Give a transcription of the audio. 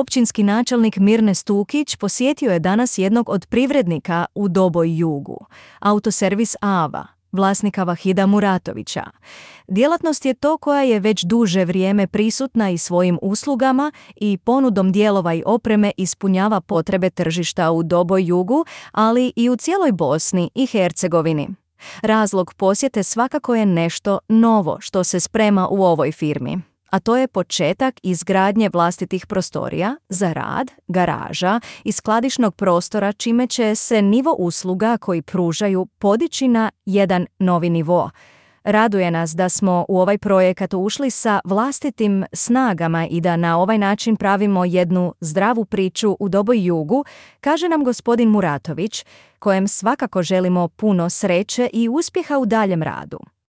Općinski načelnik Mirne Stukić posjetio je danas jednog od privrednika u Doboj Jugu, autoservis Ava, vlasnika Vahida Muratovića. Djelatnost je to koja je već duže vrijeme prisutna i svojim uslugama i ponudom dijelova i opreme ispunjava potrebe tržišta u Doboj Jugu, ali i u cijeloj Bosni i Hercegovini. Razlog posjete svakako je nešto novo što se sprema u ovoj firmi, a to je početak izgradnje vlastitih prostorija za rad, garaža i skladišnog prostora, čime će se nivo usluga koji pružaju podići na jedan novi nivo. Raduje nas da smo u ovaj projekat ušli sa vlastitim snagama i da na ovaj način pravimo jednu zdravu priču u Doboj Jugu, kaže nam gospodin Muratović, kojem svakako želimo puno sreće i uspjeha u daljem radu.